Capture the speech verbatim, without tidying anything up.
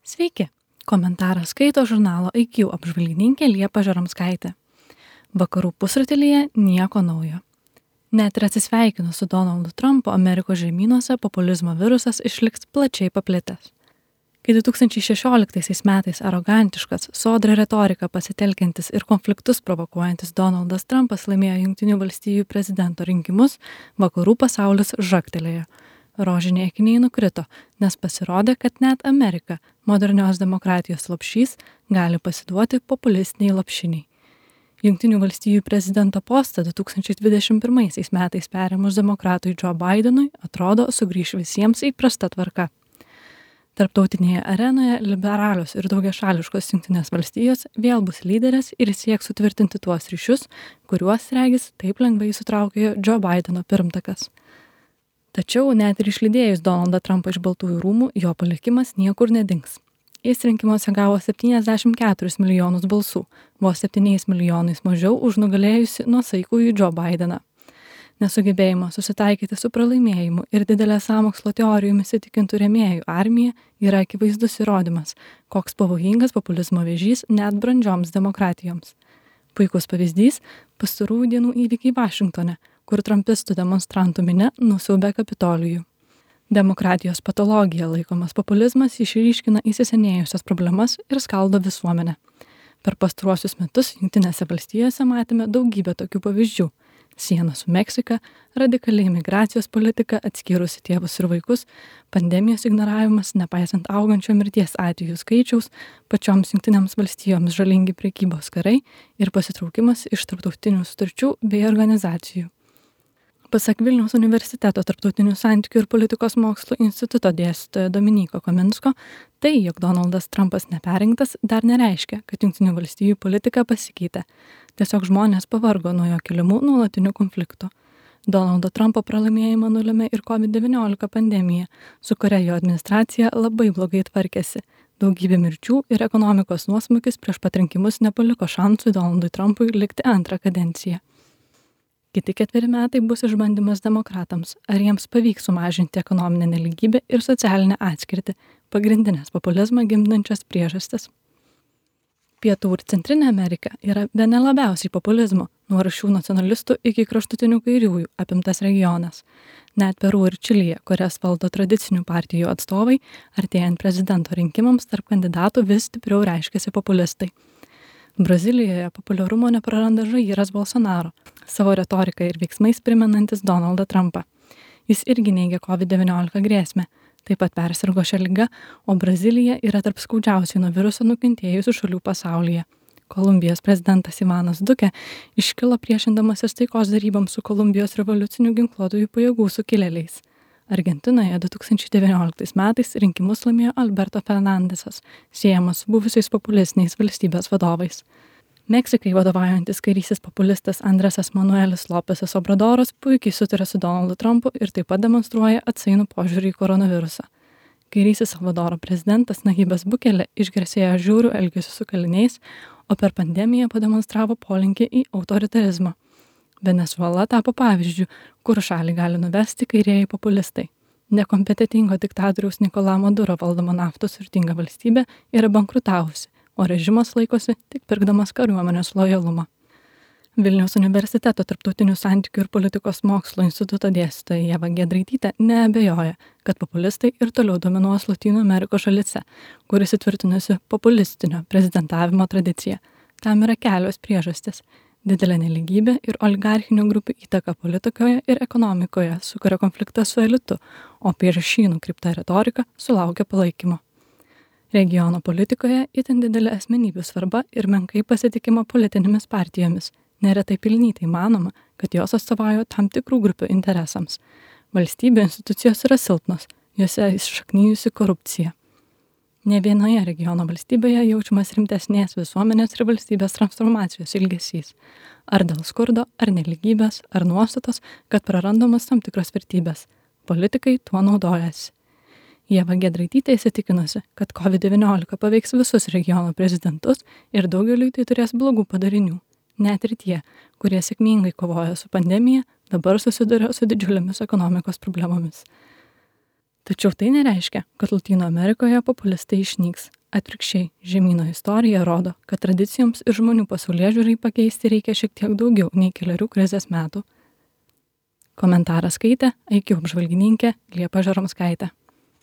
Sveiki, komentarą skaito žurnalo I Q apžvalgininkė Liepa Žaramskaitė. Vakarų pusrutulyje nieko naujo. Net ir atsisveikinus su Donaldu Trumpu, Amerikos žemynuose populizmo virusas išliks plačiai paplitęs. Kai du tūkstančiai šešioliktaisiais metais arogantiškas, sodrią retoriką pasitelkiantis ir konfliktus provokuojantis Donaldas Trumpas laimėjo Jungtinių valstijų prezidento rinkimus, vakarų pasaulis žagtelėjo. Rožiniai akiniai nukrito, nes pasirodė, kad net Amerika, modernios demokratijos lopšys, gali pasiduoti populistiniai lopšiniai. Jungtinių valstijų prezidento postą du tūkstančiai dvidešimt pirmaisiais metais perėmus demokratui Joe Bidenui atrodo sugrįš visiems įprasta tvarka. Tarptautinėje arenoje liberalios ir daugiašališkos Jungtinės valstijos vėl bus lyderės ir sieks sutvirtinti tuos ryšius, kuriuos, regis, taip lengvai sutraukė Joe Bideno pirmtakas. Tačiau net ir išlydėjus Donaldą Trumpą iš Baltųjų rūmų, jo palikimas niekur nedings. Jis rinkimuose gavo septyniasdešimt keturis milijonus balsų, vos septyniais milijonais mažiau už nugalėjusi nuosaikųjį Joe Bideną. Nesugebėjimo susitaikyti su pralaimėjimu ir didelė sąmokslo teorijomis įtikintų rėmėjų armija yra akivaizdus įrodymas, koks pavojingas populizmo vėžys net brandžioms demokratijoms. Puikus pavyzdys – pastarųjų dienų įvykiai Vašingtone, kur trumpistų demonstrantų minia nusiaubė Kapitolijų. Demokratijos patologija laikomas populizmas išryškina įsisenėjusias problemas ir skaldo visuomenę. Per pastaruosius metus Jungtinėse valstijose matėme daugybę tokių pavyzdžių. Siena su Meksika, radikali imigracijos politika, atskyrusi tėvus ir vaikus, pandemijos ignoravimas, nepaisant augančio mirties atvejų skaičiaus, pačioms Jungtinėms valstijoms žalingi prekybos karai ir pasitraukimas iš tarptautinių sutarčių bei organizacijų. Pasak Vilniaus universiteto tarptautinių santykių ir politikos mokslų instituto dėstytojo Dominyko Kominsko, tai, jog Donaldas Trumpas neperrinktas, dar nereiškia, kad Jungtinių valstijų politika pasikeitė. Tiesiog žmonės pavargo nuo jo keliamų nuolatinių konfliktų. Donaldo Trumpo pralaimėjimą nulėmė ir covid devyniolika pandemija, su kuria jo administracija labai blogai tvarkėsi. Daugybė mirčių ir ekonomikos nuosmukis prieš pat rinkimus nepaliko šansų Donaldui Trumpui likti antrą kadenciją. Kiti ketveri metai bus išbandymas demokratams, ar jiems pavyks sumažinti ekonominę nelygybę ir socialinę atskirtį, pagrindinės populizmą gimdančias priežastis. Pietų ir Centrinė Amerika yra bene labiausiai populizmo, nuo aršių nacionalistų iki kraštutinių kairiųjų apimtas regionas. Net Peru ir Čilėje, kurias valdo tradicinių partijų atstovai, artėjant prezidento rinkimams tarp kandidatų vis stipriau reiškiasi populistai. Brazilijoje populiarumo nepraranda Žairas Bolsonaro, savo retoriką ir veiksmais primenantis Donaldą Trumpą. Jis irgi neigia covid devyniolika grėsmę, taip pat persirgo šią ligą, o Brazilija yra tarp skaudžiausiai nuo viruso nukentėjusių šalių pasaulyje. Kolumbijos prezidentas Ivanas Duque iškilo priešindamasis taikos deryboms su Kolumbijos revoliucinių ginkluotųjų pajėgų sukilėliais. Argentinoje du tūkstančiai devynioliktais metais rinkimus laimėjo Alberto Fernandesas, siejamas su buvusiais populistiniais valstybės vadovais. Meksikai vadovaujantis kairysis populistas Andresas Manuelis Lopesas Obradoras puikiai sutarė su Donaldu Trumpu ir taip pat demonstruoja atsainų požiūrį į koronavirusą. Kairysis Salvadoro prezidentas Nayibas Bukele išgarsėjo žiauriu elgesiu su kaliniais, o per pandemiją pademonstravo polinkį į autoritarizmą. Venesuela tapo pavyzdžiu, kur šalį gali nuvesti kairieji populistai. Nekompetitingo diktatoriaus Nicolás Maduro valdoma naftos turtinga valstybė yra bankrutavusi, o režimas laikosi tik pirkdamas kariuomenės lojalumą. Vilniaus universiteto tarptautinių santykių ir politikos mokslo instituto dėstytoja Ieva Giedraitytė neabejoja, kad populistai ir toliau dominuos Lotynų Amerikos šalyse, kuris įtvirtinusi populistinio prezidentavimo tradiciją. Tam yra kelios priežastys. Didelė nelygybė ir oligarchinių grupių įtaka politikoje ir ekonomikoje sukuria konfliktą su elitu, o prieš šį nukreipta retorika sulaukia palaikymo. Regiono politikoje itin didelė asmenybių svarba ir menkai pasitikima politinėmis partijomis. Neretai pelnytai manoma, kad jos atstovauja tam tikrų grupių interesams. Valstybė institucijos yra silpnos, jose įsišaknijusi korupcija. Ne vienoje regiono valstybėje jaučiamas rimtesnės visuomenės ir valstybės transformacijos ilgesys. Ar dėl skurdo, ar nelygybės, ar nuostatos, kad prarandamas tam tikros vertybės. Politikai tuo naudojasi. Ieva Giedraitytė įsitikinusi, kad covid devyniolika paveiks visus regiono prezidentus ir daugeliui tai turės blogų padarinių. Net ir tie, kurie sėkmingai kovoja su pandemija, dabar susiduria su didžiulėmis ekonomikos problemomis. Tačiau tai nereiškia, kad Lotynų Amerikoje populistai išnyks. Atvirkščiai, žemyno istorija rodo, kad tradicijoms ir žmonių pasaulėžiūrai pakeisti reikia šiek tiek daugiau nei keliarių krizės metų. Komentarą skaitė I Q apžvalgininkė Liepa Žaromskaitė.